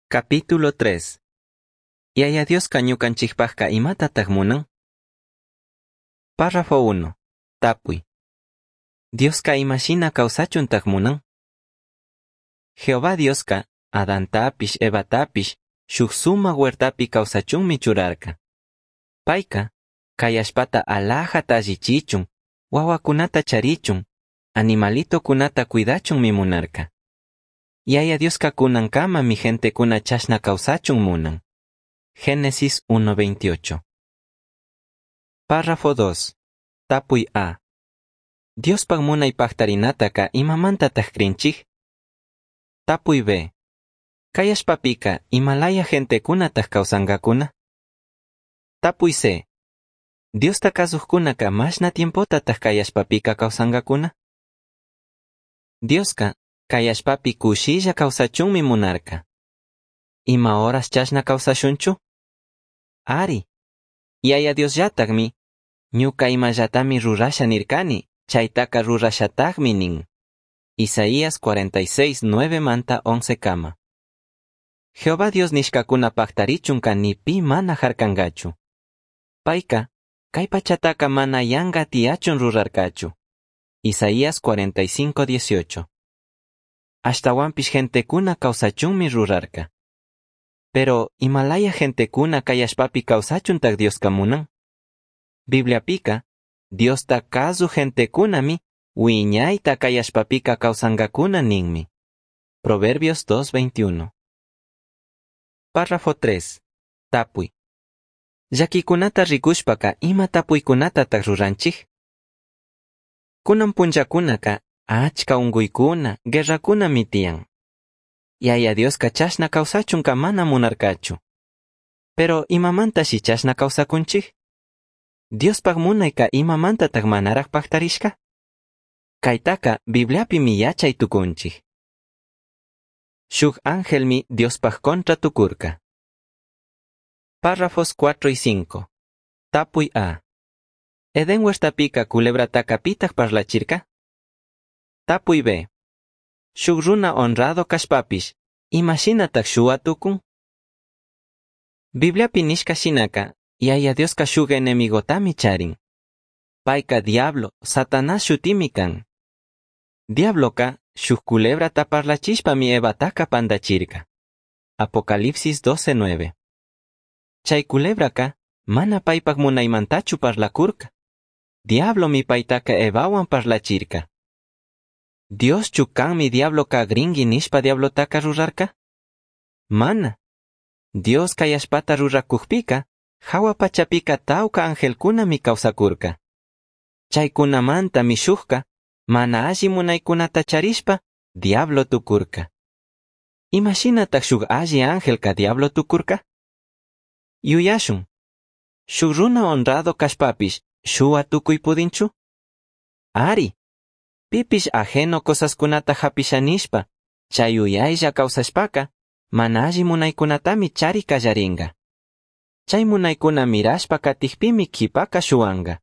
Capítulo 3. Yaya Dioska ñukanchikpajka imatataq munan? Párrafo 1. Tapuy. Dioska imashina kawsachuntaq munan? Jehová Dioska Adantapish Evatapish shuk sumak huertapi kawsachunmi churarka. Payka kay allpata alajata allichichun, wawakunata charichun, animalitokunata cuidachunmi munarka. Yaya Dioska kunankamami gentekuna chashna kawsachun munan. Génesis 1.28. Párrafo 2. Tapuy A. Diospaj munay pajtarinataka imamantataj crinchij? Tapuy B. Kay allpapika imalaya gentekunataj kawsankakuna? Tapuy C. Diosta kazujkunaka mashna tiempotataj kay allpapika kawsankakuna? Dioska kay allpapi kushilla kawsachunmi munarka. Ima horas chashna kawsashunchu? Ari. Yaya Diosllatakmi ñuka imallatami rurasha nirkani, chaytaka rurashatakmi nin. Isaías 46, 9 manta 11 kama. Jehová Dios nishkakuna paktarichunka ni pi mana harkankachu. Payka, kay pachataka mana yanka tiyachun rurarkachu. Isaías 45, 18. Ashtawanpish gentekuna kawsachunmi rurarka. Pero, imalaya gentekuna kay allpapi kawsachuntak Dioska munan? Bibliapika, Diosta kazu gentekunami wiñayta kay allpapika kawsankakuna ninmi. Proverbios 2.21. Párrafo 3. Tapuy. Llakikunata rikushpaka ima tapuykunatataq ruranchik? Kunan punllakunaka achka unkuykuna, guerrakunami tiyan. Yaya Dioska chashna kawsachunka mana munarkachu. Pero imamantashi chashna kawsakunchik? Diospaj munayka imamantataq manaraj pajtarishka? Kaytaka Bibliapimi yachay tukunchik. Shuk angelmi Diospaj contra tukurka. Párrafos 4 y 5. Tapuy A. Edén huertapika culebrataka pitaq parlachirka? Tapuy B. Shuk runa honrado kashpapish, imashinataq shuwa tukun? Bibliapi nishka shinaka, Yaya Dioska shuk enemigotami charin. Payka diablo, Satanás shutimi kan. Diabloka shuk culebrata parlachishpami Evataka pandachirka. Apocalipsis 12:9. Chay culebraka mana paypak munaymantachu parlakurka. Diablomi paytaka Evawan parlachirka. Dioschu kanmi diabloka gringui nishpa diablotaka rurarka? Mana. Dios kay allpata rurakukpika, hawa pachapika tawka angelkunami kawsakurka. Chaykunamantami shukka, mana alli munaykunata charishpa, diablo tukurka. Imashinataq shuk alli angelka diablo tukurka? Yuyashun. Shuk runa honrado kashpapish, shuwa tukuy pudinchu? Ari. Pipish ajeno cosaskunata hapisha nishpa, chay yuyaylla kawsashpaka, mana alli munaykunatami chari kallarinka. Chay munaykuna mirashpa katikpimi kipaka shuwanka.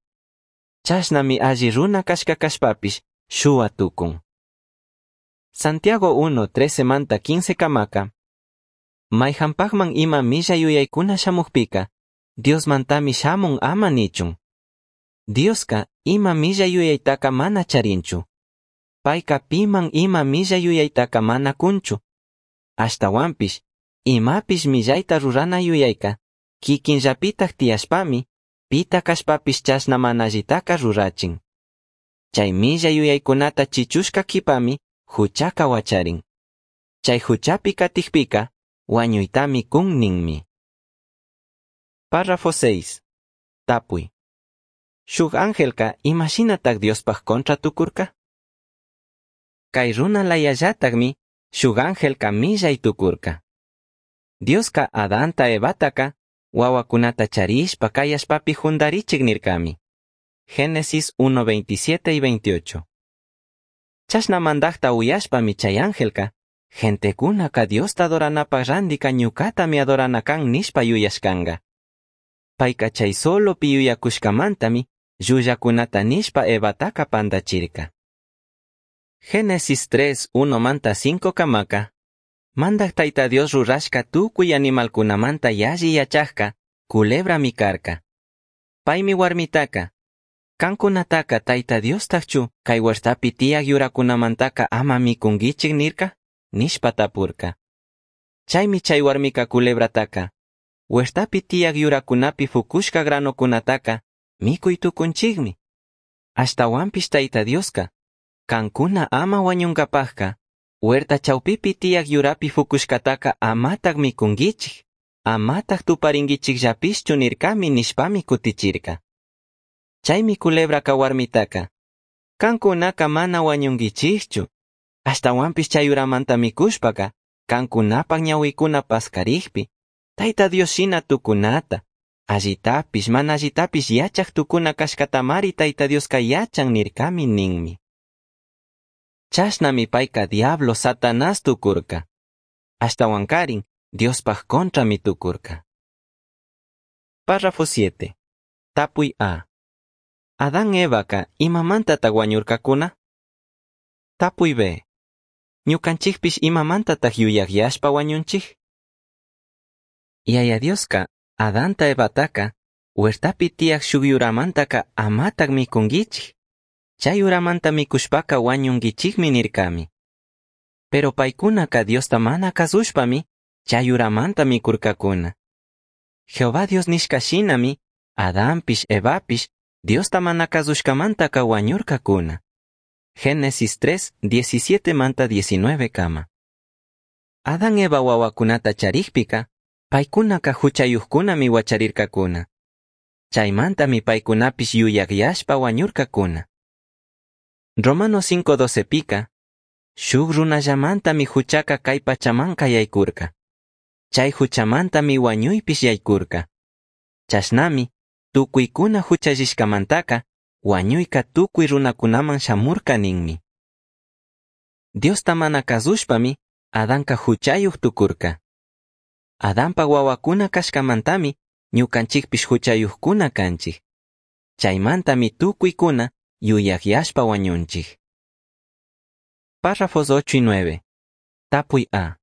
Chashnami alli runa kashka kashpapish shuwa tukun. Santiago 1, 13 manta 15 kamaka. Mayhanpakman ima millay yuyaykuna shamukpika, Diosmantami shamun ama nichun. Dioska ima millay yuyaytaka mana charinchu. Payka piman ima millay yuyaytaka mana kunchu. Ashtawanpish, imapish millayta rurana yuyayka, kikinllapitak tiyashpami, pita kashpapish chashna mana allitaka rurachin. Chay millay yuyaykunata chichushka kipami, huchaka wacharin. Chay huchapi katikpika, wañuytami kun ninmi. Párrafo 6. Tapuy. Shuk angelka imashinatak Diospaj contra tukurka? Kay runa layallatakmi, shuk angelka millay tukurka. Dioska Adanta Evataka, wawakunata charishpa kay allpapi jundarichik nirkami. Génesis 1.27 y 28. Chashna mandakta uyashpami chay angelka, gentekunaka Diosta adoranapaj randika ñukatami adorana kan nishpa yuyashkanka. Payka chay solopi yuyakushkamantami llullakunata nishpa Evataka pandachirka. Génesis 3, 1 manta 5 kamaka. Mandaj Taita Dios rurashca tucui animalcunamanta yalli yachajca culebrami carca. Paimi huarmitaca, Cancunataca Taita Diostajchu cai huertapi tiyaj yuracunamantaca ama micunguichij nirca? Nishpa tapurca. Chaimi chai huarmica culebrataca, huertapi tiyaj yuracunapi fucushca granocunataca micui tucunchijmi. Ashtahuanpish Taita Diosca, cancuna ama huañungapajca, huerta chaupipi tiyaj yurapi fucushcataca amataj micunguichij, amataj tuparinguichijllapishchu nircami nishpami cutichirca. Chaimi culebraca huarmitaca, cancunaca mana huañunguichijchu, ashtahuanpish chay yuramanta micushpaca, cancunapaj ñahuicuna pascarijpi, Taita Dios shina tucunata, allitapish mana allitapish yachaj tucuna cashcatamari Taita Diosca yachan nircami ninmi. Chashnami paica diablo Satanás tucurca. Ashtahuancarin Diospaj contrami tucurca. Párrafo 7. Tapui A. Adán Evaca imamantataj huañurcacuna? Tapui B. Ñucanchijpish imamantataj yuyajyashpa huañunchij? Yaya Diosca Adanta Evataca huertapi tiyaj shuk yuramantaca amataj micunguichij. Chay yuramanta micushpaca huañunguichijmi nircami. Pero paicunaca Diosta mana cazushpami chay yuramanta micurcacuna. Jehová Dios nishca shinami Adanpish Evapish Diosta mana cazushcamantaca huañurcacuna. Génesis 3, 17 manta 19 kama. Adán Eva huahuacunata charijpica, paicunaca huchayujcunami huacharircacuna. Chaimantami paicunapish yuyajyashpa huañurcacuna. Romanos 5:12 pica, shuk runallamantami huchaca kay pachamanca yaykurka. Chay huchamantami huañuypish yaykurka. Chashnami, tucuicuna huchallishkamantaka, huañuyka tucui runakunaman shamurka ninmi. Diosta mana kazushpami, Adanka huchayuj tukurka. Adanpa wawakuna kashkamantami, ñukanchikpish huchayujkuna kanchik. Chaymantami tucuicuna yuyajyashpa huañunchik. Párrafos 8 y 9. Tapuy A.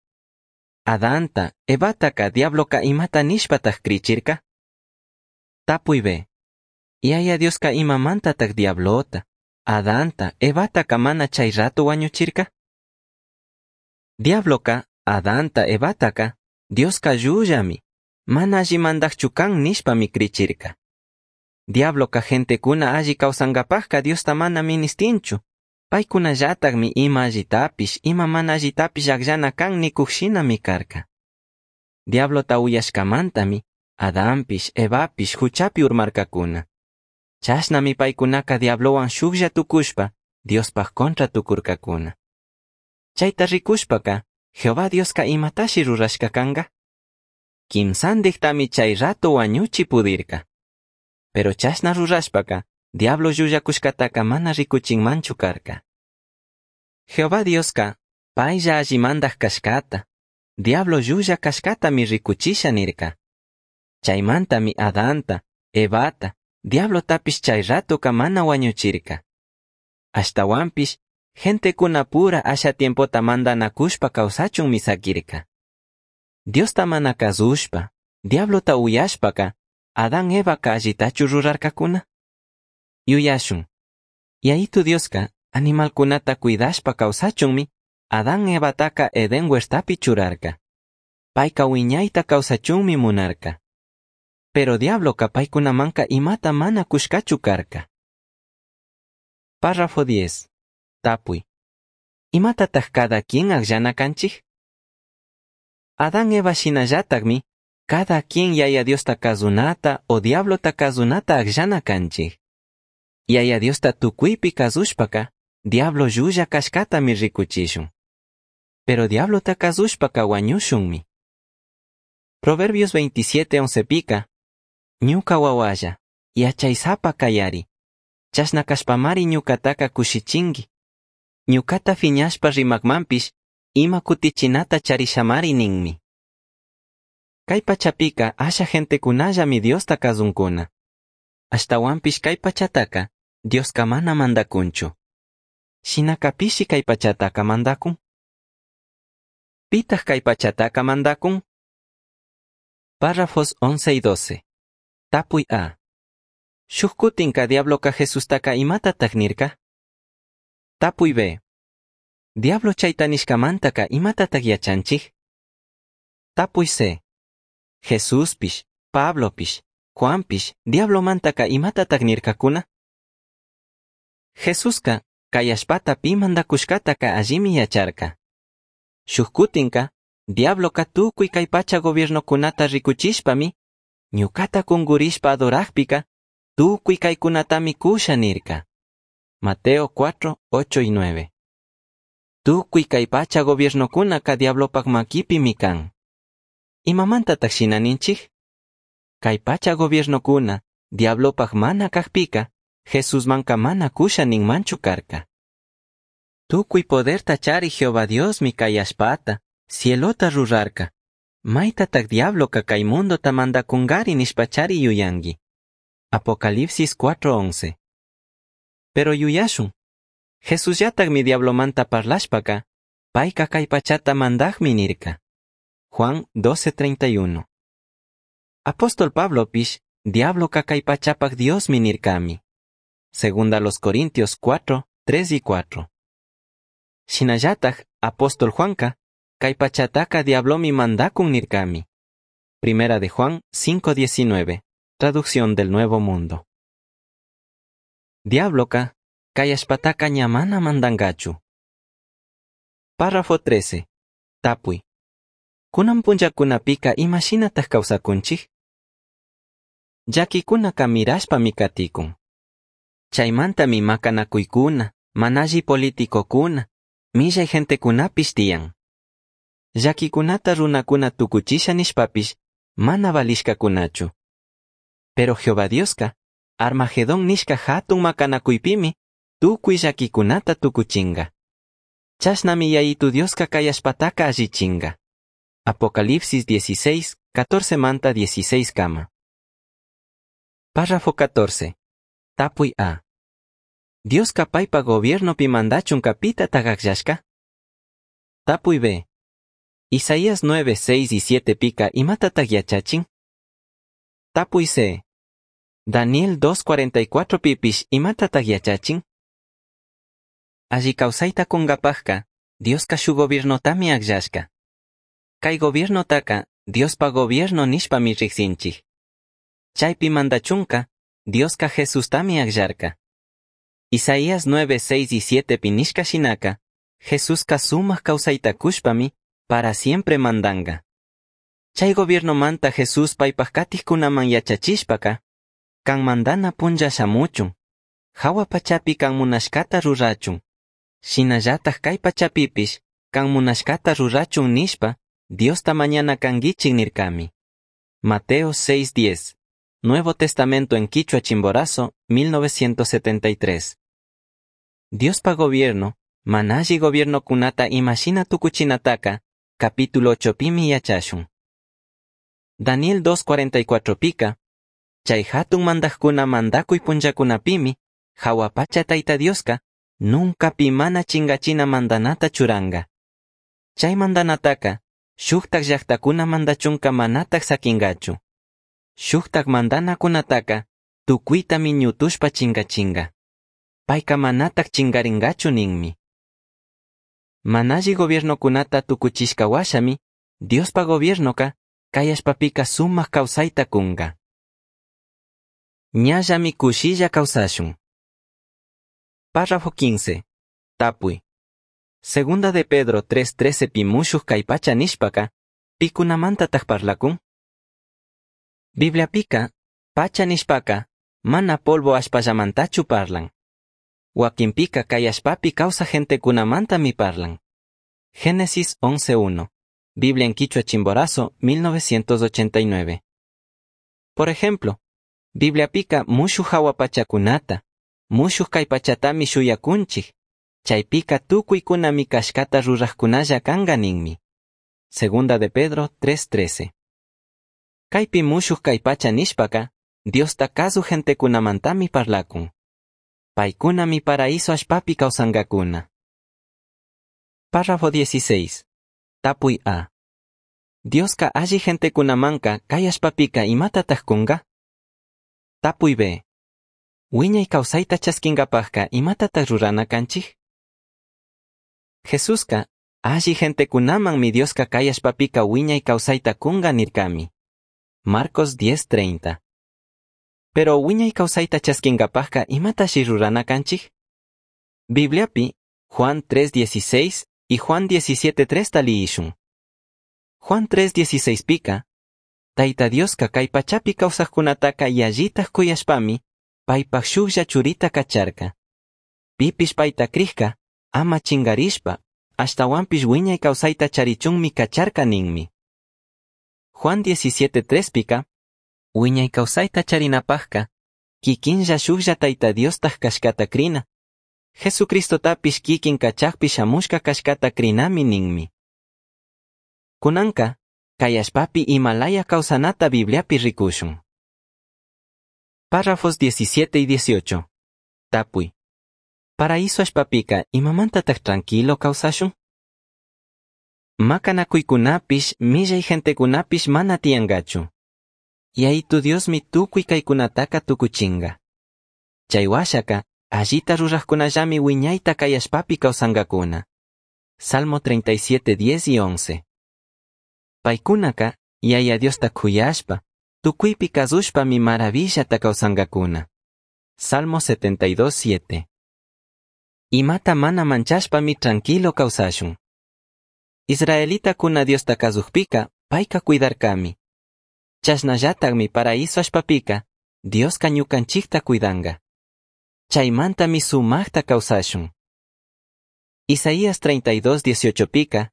Adanta, Evataka diabloka imata nishpataj krichirka? Tapuy B. Yaya Dioska imamantataj diablota, Adanta, Evataka mana chay rato huañuchirka? Diabloka, Adanta, Evataka, Dioska llullami, mana alli mandajchu kan nishpami krichirka. Diabloka gentekuna alli kawsankapajka Diosta mana ministinchu. Paykunallatakmi ima allitapish, ima mana allitapish akllana kan nikuj shinami karka. Diablota uyashkamantami, Adanpish, Evapish huchapi urmarkakuna. Chashnami paykunaka diablowan shuklla tukushpa, Diospaj contra tukurkakuna. Chayta rikushpaka, Jehová Dioska imatashi rurashka kanka? Kimsandiktami chay rato wañuchi pudirka. Pero chashna rurashpaka, diablo llullakushkataka mana rikuchinmanchu karka. Jehová Dioska, paylla alli mandaj kashkata, diablo llulla kashkatami rikuchisha nirka. Chaymantami Adanta, Evata, diablotapish chay ratoka mana wañuchirka. Ashtahuanpish, gentekuna pura asha tiempota mandanakushpa kawsachunmi sakirka. Diosta mana kazushpa, diablota uyashpaka, Adán Evaka allitachu rurarkakuna? Yuyashun. Yayitu Dioska, animalkunata cuidashpa kawsachunmi, Adán Evataka Edén huertapi churarka. Payka wiñayta kawsachunmi munarka. Pero diabloka paykunamanka imata mana kushkachu karka. Párrafo 10. Tapuy. Imatataj cada quien akllana kanchik? Adán Eva shinallatakmi, cada quien Yaya Diosta kazunata o diablota kazunata akllana kanchik. Yaya Diosta tukuypi kazushpaka, diablo llulla kashkatami rikuchishun. Pero diablota kazushpaka wañushunmi. Proverbios 27:11 pika, ñuka wawalla, yachaysapa kayari, chashna kashpamari ñukataka kushichinki. Ñukata fiñashpa rimakmanpish, ima kutichinata charishamari ninmi. Kay pachapika asha gentekunallami Diosta kazunkuna. Ashtahuanpish kay pachataka, Dioska mana mandakunchu. Shinaka pishi kay pachataka mandakun? Pitaj cai pachataca mandacun? Párrafos 11 y 12. Tapui A. Shuj cutinca diabloca Jesustaca imatataj nirca? Tapui B. Diablo chaita nishcamantaca imatataj yachanchij? Tapui C. Jesuspish, Pablopish, Juanpish, diablomantaca imatataj nircacuna? Jesusca, cai allpata pi mandacushcataca allimi yacharca. Shuj cutinca, diabloca tucui cai pacha gobiernocunata ricuchishpami, ñucata cungurishpa adorajpica, tucui caicunatami cusha nirca. Mateo 4, 8 y 9. Tucui cai pacha gobiernocunaca diablopac maquipimi can. Imamantataj shina ninchij? Cai pacha gobiernocuna diablopac mana cajpica, Jesusmanca mana cusha ninmanchu carca. Tucui poderta charij Jehová Diosmi cai allpata, cielota rurarca. Maitataj diabloca cai mundota mandacungari nishpachari yuyangui. Apocalipsis 4:11. Pero yuyashun. Jesusllatajmi diablomanta parlashpaca, paica cai pachata mandajmi nirca. Juan 12:31. Apóstol Pablopish, diabloca cai pachapaj Diosmi nircami. Segunda los Corintios 4, 3 y 4. Shinallataj, apóstol Juanca, cai pachataca diablomi mandacun nircami. Primera de Juan 5:19. Traducción del Nuevo Mundo. Diabloca, cai allpataca ña mana mandangachu. Párrafo 13. Tapui. Cunan punllacunapika imashinataj kawsakunchik? Llaquicunaca mirashpami katikun. Chaymantami macanakuykuna, mana alli politicokuna, millay gentecunapish tiyan. Llaquicunata runakuna tukuchisha nishpapish mana valishkakunachu. Pero Jehová Dioska, Armagedón nishka hatun macanakuypimi, tukuy llaquicunata tukuchinga. Chashnami Yayitu Dioska kay allpataka allichinga. Apocalipsis 16, 14 manta 16 kama. Párrafo 14. Tapuy A. Dioska paypa gobiernopi mandachunka pitataj akllashka? Tapuy B. Isaías 9, 6 y 7 pika imatataj yachachin? Tapuy C. Daniel 2.44 pipish imatataj yachachin? Alli kawsayta kungapajka, Dioska shuj gobiernotami akllashka. Kay gobiernotaka, Diospa gobierno nishpami rijsinchij. Chaypi mandachunka, Dioska Jesustami akllarka. Isaías 9, 6 y 7 pi nishka shinaka, Jesuska sumaj kawsayta kushpami, para siempre mandanga. Chay gobiernomanta Jesús paypaj katijkunaman yachachishpaka, kan mandana punlla shamuchun, jahua pachapi kan munashkata rurachun, shinallataj kay pachapipish kan munashkata rurachun nishpa, Diosta mañana kanguichik nirkami. Mateo 6:10. Nuevo Testamento en Quichua Chimborazo, 1973. Diospa gobierno, mana alli gobiernocunata imashina tucuchinataca, capítulo 8 pimi yachashun. Daniel 2.44 pika, chay hatun mandajkuna mandakuy punllakunapimi, jahua pacha Tayta Dioska, nunca pi mana chingachina mandanata churanga. Chay mandanataka, shuktak llaktakuna mandachunka manataj sakingachu. Shuktak mandanakunataka, tukuitami ñutushpa chingachinga. Payka manataj chingaringachu ninmi. Mana alli gobiernokunata tukuchishka washami, Diospa gobiernoka, kay allpapika sumak kawsayta kunga. Ñallami kushilla kawsashun. Párrafo 15. Tapuy. Segunda de Pedro 3.13 pi mushuj kay pacha nishpaka, pikunamantataj parlakun? Bibliapika, pacha nishpaka, mana polvo allpallamantachu parlan. Wakinpika kay allpapi kawsaj gentekunamantami parlan. Génesis 11.1. Biblia en Quichua Chimborazo, 1989. Por ejemplo, Bibliapika mushuj jahua pachakunata, mushuj kay pachatami shuyakunchik, chaypika tukuykunami kashkata rurajkunalla kanga ninmi. Segunda de Pedro 3.13. Kaypi mushuj kay pacha nishpaka, Diosta kazuj gentekunamantami parlakun. Paykunami paraíso allpapi kawsankakuna. Párrafo 16. Tapui A. Diosca alli gentecunamanca cai allpapica imatataj cunga? Tapui B. Huiñai causaita chasquingapajca imatataj rurana canchij? Jesusca alli gentecunamanmi Diosca cai allpapica huiñai causaita cunga nircami. Marcos 10:30. Pero huiñai causaita chasquingapajca imatashi rurana canchij? Bibliapi Juan 3:16 y Juan 17:3 ta liyishun. Juan 3:16 pica, Taita Diosca cai pachapi causajcunataca yallitaj cuyashpami, paipaj shujlla churita cacharca. Pipish paita crijca, ama chingarishpa, ashtahuanpish huiñai causaita charichunmi cacharca ninmi. Juan 17:3 pica, huiñai causaita charinapajca, kikinlla shujlla Taita Diostaj cashcata crina. Jesucristotapish kikin cachajpi shamushca cashcata crinami ninmi. Kunanka, cai allpapi imalaya causanata Bibliapi ricushun. Párrafos 17 y 18. Tapui. Paraíso allpapica imamantataj tranquilo causashun? Macanacuicunapish, millai gentecunapish mana tiyangachu. Yayitu Diosmi tucui caicunataca tucuchinga. Chai huashaca, allita rurajcunallami huiñaita cai allpapi causangacuna. Salmo 37, 10 y 11. Paicunaca, Yaya Diosta cuyashpa, tucuipi cazushpami maravillata causangacuna. Salmo 72, 7. Imata mana manchashpami tranquilo causashun. Israelitacuna Diosta cazujpica, paica cuidarcami. Chashnallatajmi paraíso allpapica, Diosca ñucanchijta cuidanga. Chaimantami sumajta causashun. Isaías 32, 18 pica,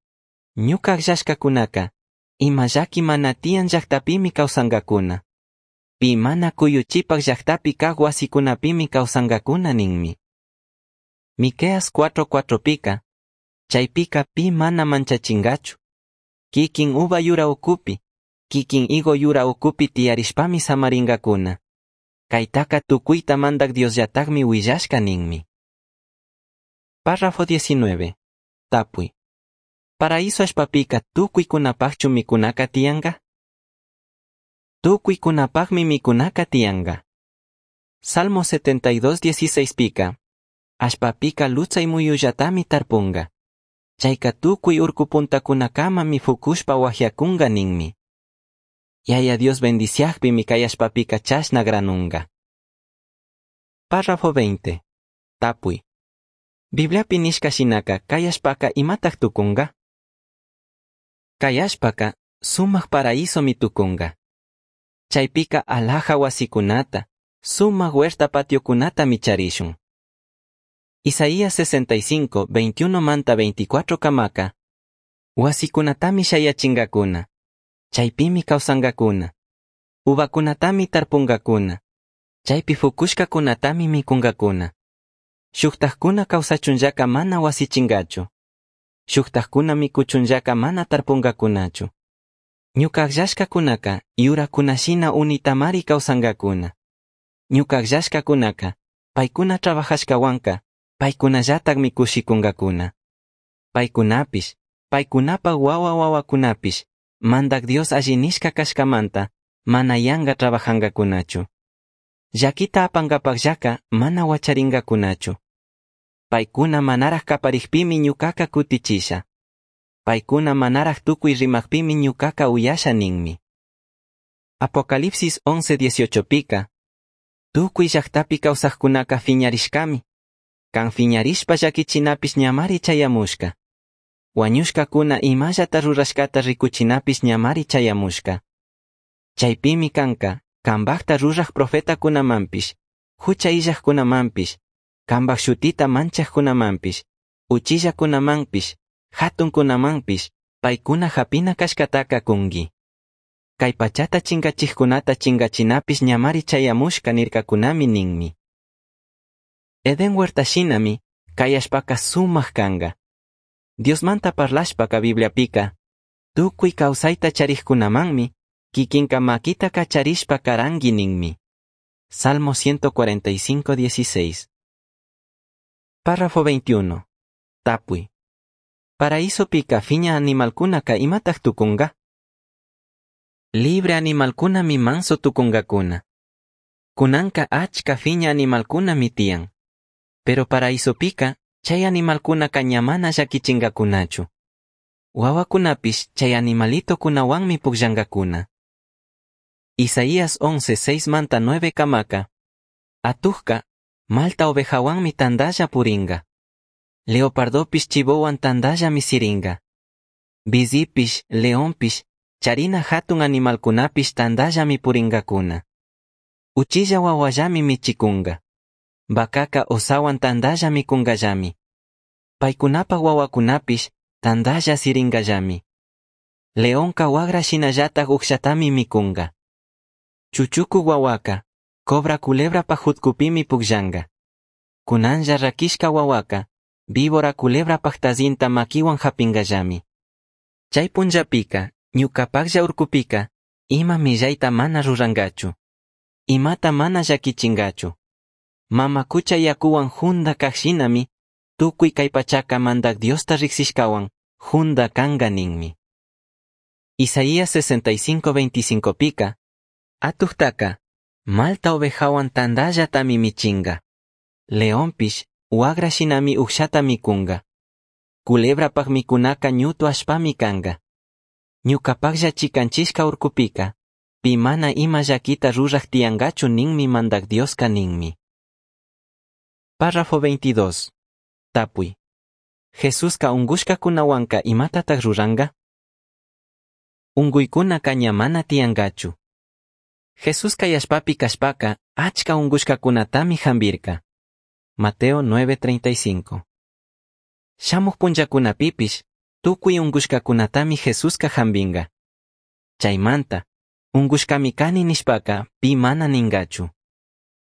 ñuca agllashcacunaca, ima llaqui mana tiyan llajtapimi causangacuna. Pi mana cuyuchipaj llajtapi caj huasicunapimi causangacuna ninmi. Miqueas 4:4 pica, chaipica pi mana manchachingachu. Kikin uva yura ucupi, kikin higo yura ucupi tiyarishpami samaringacuna. Caitaca tucuita mandac Diosllatajmi huillashca ninmi. Párrafo 19. Tapui. Paraíso allpapica tucuicunapajchu micunaca tiyanga? Tucuicunapajmi micunaca tiyanga. Salmo 72, 16 pica. Allpapica lutsai muyullatami tarpunga. Chaica tucui urcu puntacunacamami fucushpa huajiacunga ninmi. Yaya Dios bendiciajpimi cai allpapica chashna granunga. Párrafo 20. Tapui. Bibliapi nishca shinaca cai allpaca imataj tucunga? Cai allpaca sumaj paraísomi tucunga. Chaipica alhaja huasicunata, sumaj huerta patiocunatami charishun. Isaías 65, 21 manta 24 camaca, huasicunatami shayachingacuna, chaipimi causangacuna, uvacunatami tarpungacuna, chaipi fucushcacunatami micungacuna. Shujtajcuna causachunllaca mana huasichingachu. Shujtajcuna micuchunllaca mana tarpungacunachu. Ñuca agllashcacunaca yuracunashina unitamari causangacuna. Ñuca agllashcacunaca paicuna trabajashcahuanca paicunallatajmi cushicungacuna. Paicunapish, paicunapaj huahua huahuacunapish, Mandac Dios alli nishca cashcamanta mana yanga trabajangacunachu. Llaquita apangapajllaca mana huacharingacunachu. Paicuna manaraj caparijpimi ñucaca cutichisha. Paicuna manaraj tucui rimajpimi ñucaca uyasha ninmi. Apocalipsis 11:18 pica, tucui llajtapi causajcunaca fiñarishcami. Can fiñarishpa llaquichinapish ñamari chayamushca. Huañushcacuna imallata rurashcata ricuchinapish ñamari chayamushca. Chaipimi canca, cambajta ruraj profetacunamanpish, jucha illajcunamanpish, cambaj shutita manchajcunamanpish, uchillacunamanpish, jatuncunamanpish, paicuna japina cashcataca cungui. Cai pachata chingachijcunata chingachinapish ñamari chayamushca nircacunami ninmi. Edén huerta shinami, cai allpaca sumaj canga. Diosmanta parlashpaca Bibliapica, tucui causaita charijcunamanmi, kikinka maquita cacharishpa carangui ninmi. Salmo 145, 16. Párrafo 21. Tapui. Paraisopica fiña animalcunaca imataj tucunga? Libre animalcunami manso tucungacuna. Cunanca achca fiña animalcunami tiyan. Pero paraisopica chay animalcunaca ña mana llaquichingacunachu. Wawacunapish chay animalitocunahuanmi pugllangacuna. Isaías 11, 6 manta 9 camaca. Atujca, malta ovejahuanmi tandalla puringa. Leopardopish chivohuan tandallami siringa. Bizipish, leonpish, charina jatun animalcunapish tandallami puringacuna. Uchilla wahuallami michicunga. Vacaca osahuan tandalla micungallami. Paicunapaj wawacunapish tandalla siringallami. Leonca huagra shinallataj ucshatami micunga. Chuchucu wawaca, cobra culebrapaj jutcupimi pugllanga. Cunanlla raquishca wawaca, víbora culebrapaj tazinta maquihuan japingallami. Chay punllapika, ñucapajlla urcupika, ima millaita mana rurangachu. Imata mana llaquichingachu. Mama cucha yacuhuan junda kaj shinami, tucui kay pachaka Mandaj Diosta rijsishcahuan, junda canga ninmi. Isaías 65:25 pika, atujtaca, malta ovejahuan tandallatami michinga. Leonpish, huagra shinami ucsata micunga. Culebrapaj micunaka ñutu allpami canga. Ñucapajlla chicanchishca urcupika, pi mana ima llaquita ruraj tiyangachu ninmi Mandaj Dioska ninmi. Párrafo 22. Tapui. Jesuska ungushkakunawanka imatataj ruranga? Unguykunaka ña mana tiyangachu. Jesús kay allpapi kashpaka achka ungushkakunatami jambirka. Mateo 9:35. Shamuj punllakunapipish tukuy ungushkakunatami Jesuska jambinga. Chaymanta, ungushkami kani nishpaka pi mana ningachu.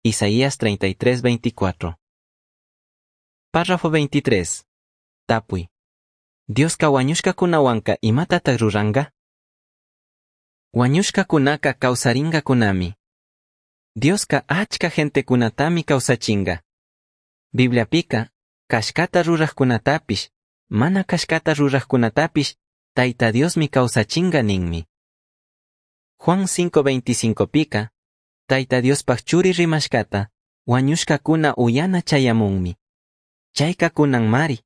Isaías 33:24. Párrafo 23. Tapui. Dioska wañushkakunawanka imatataj ruranga? Wañushkakunaka kawsaringakunami. Dioska achka gentecunatami kawsachinga. Bibliapika, kashkata rurajkunatapish, mana kashkata rurajkunatapish, Tayta Diosmi kawsachinga ninmi. Juan 5:25 pika, Tayta Diospaj churi rimashkata, wañushkakuna uyana chayamunmi. Chayka kunanmari.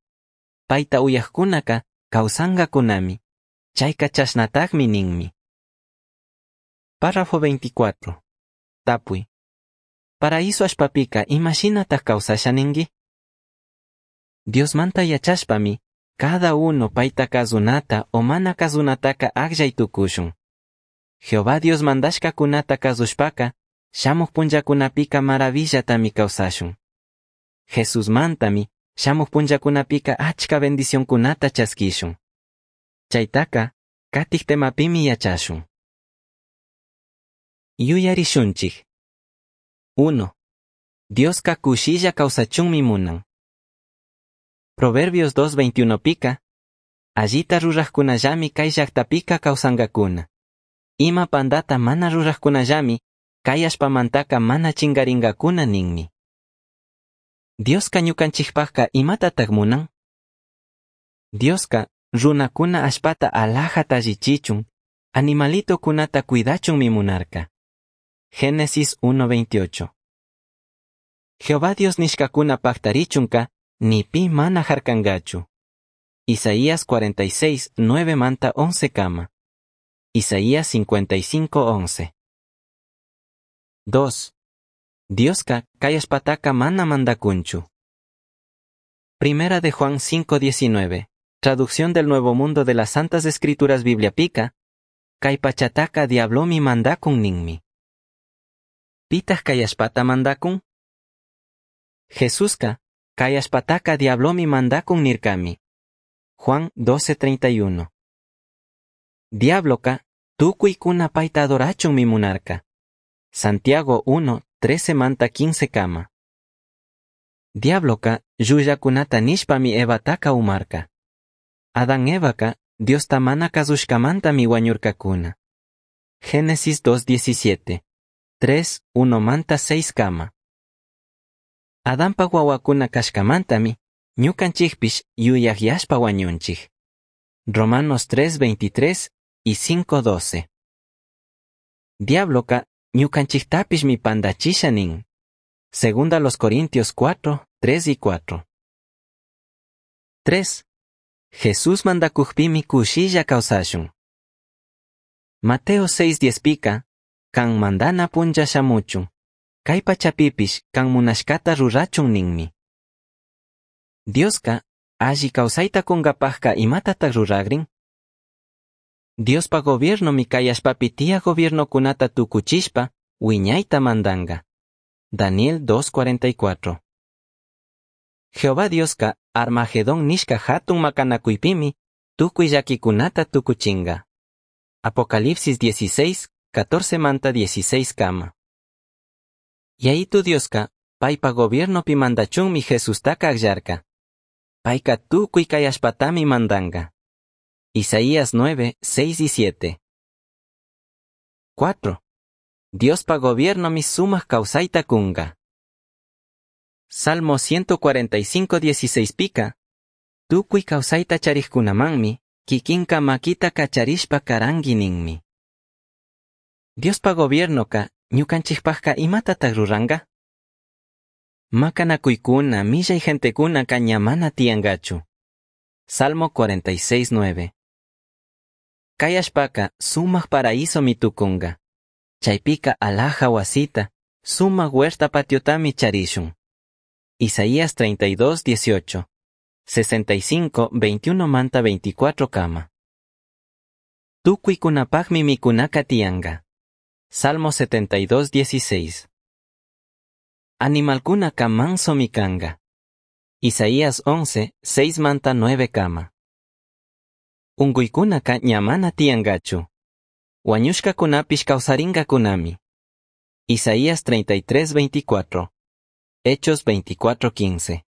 Payta uyajkunaka kawsangakunami. Chayka chashnatajmi ninmi. Párrafo 24. Tapui. Paraíso allpapika imashinataj kawsasha ningui? Diosmanta yachashpami, cada uno payta kazunata o mana kazunataka akllay tukushun. Jehová Dios mandashkakunata kazushpaka, shamuj punllakunapika maravillatami kawsashun. Jesusmantami, shamuj punllakunapika achka bendicionkunata chaskishun. Chaytaka, katij temapimi yachashun. Yuyarishunchik. 1. Dioska kushilla kawsachunmi munan. Proverbios 2.21 pika, allita rurajkunallami kay llaktapika kawsankakuna. Ima pandata mana rurajkunallami, kay allpamantaka mana chingaringakuna ninmi. Dioska ñukanchikpajka imatataj munan? Dioska runakuna allpata alajata allichichun, animalitokunata cuidachunmi munarka. Génesis 1.28. Jehová Dios nishkakuna paktarichunka, ni pi mana harkangachu. Isaías 46, 9 manta 11 kama. Isaías 55, 11. 2. Dioska kay allpataka mana mandakunchu. Primera de Juan 5.19. Traducción del Nuevo Mundo de las Santas Escrituras Bibliapika, kay pachataka diablomi mandakun ninmi. Pitaj kay allpata mandakun? Jesuska, kay allpataka diablomi mandakun nirkami. Juan 12:31. Diabloka, tukuykuna payta adorachunmi munarka. Santiago 1, 13 manta 15 kama. Diabloka, llullakunata nishpami Evataka umarka. Adán Evaka, Diosta mana kazushkamantami wañurkakuna. Génesis 2.17. 3, 1 manta 6 kama. Adanpa wawakuna kashkamantami, ñukanchikpish yuyajyashpa wañunchik. Romanos 3:23 y 5:12. Diabloca ñucanchijtapishmi pandachisha nin. Segunda los Corintios 4, 3 y 4. 3. Jesús mandacujpimi cushilla causashun. Mateo 6:10 pica, can mandana punlla shamuchun, cai pachapipish can munashcata rurachun ninmi. Diosca, alli causaita cungapajca imatataj ruragrin? Diospa gobiernomi cai allpapi tiyaj gobiernocunata tucuchishpa huiñaita mandanga. Daniel 2.44. Jehová Diosca Armagedón nishca jatun macanacuipimi tucui llaquicunata tucuchinga. Apocalipsis 16, 14 manta 16 kama. Yayitu Diosca paipa gobiernopi mandachunmi Jesustaca agllarca. Paica tucui cai allpatami mandanga. Isaías 9, 6 y 7. 4. Diospa gobiernomi sumaj causaita cunga. Salmo 145, 16 pica. Tucui causaita charijcunamanmi, kikinca maquita cacharishpa carangui ninmi. Diospa gobiernoca, ñucanchijpajca imatataj ruranga? Macanacuicuna, millai gentecuna ña mana tiyangachu. Salmo 46, 9. Cai allpaca sumaj paraísomi tucunga. Chaipica alhaja huasita, sumaj huerta patiotami charishun. Isaías 32, 18. 65, 21 manta 24 kama. Tucuicunapajmi micunaca tiyanga. Salmo 72, 16. Animalcunaca mansomi canga. Isaías 11, 6 manta 9 kama. Ungüicunaca ña mana tiyangachu. Huañushcacunapish causaringacunami. Isaías 33, 24. Hechos 24, 15.